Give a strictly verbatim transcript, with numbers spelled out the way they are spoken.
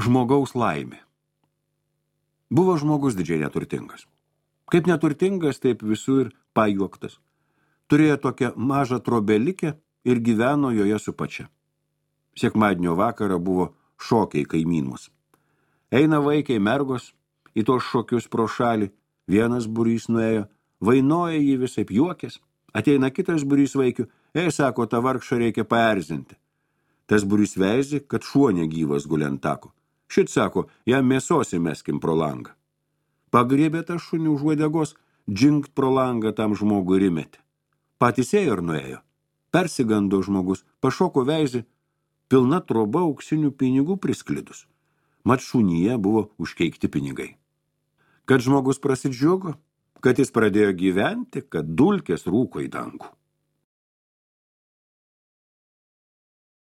Žmogaus laimė. Buvo žmogus didžiai neturtingas. Kaip neturtingas, taip visur pajuoktas. Turėjo tokią mažą trobelikę ir gyveno joje su pačia. Sekmadienio vakarą buvo šokiai kaimynus. Eina vaikai mergos į tos šokius pro šalį, vienas būrys nuėjo, vainoja jį visaip juokės, ateina kitas būrys vaikių, ei, sako, tą vargšą reikia paerzinti. Tas būrys veizė, kad šuo negyvas guli ant tako. Šit, sako, jam mėsos įmeskim pro langą. Pagriebė tą šunį už uodegos, džingt pro langą tam žmogui ir įmetė. Patys ėjo ir nuėjo. Persigando žmogus, pašoko veizė, pilna troba auksinių pinigų prisklidus. Mat šunyje buvo užkeikti pinigai. Kad žmogus prasidžiugo, kad jis pradėjo gyventi, kad dulkės rūko į dangų.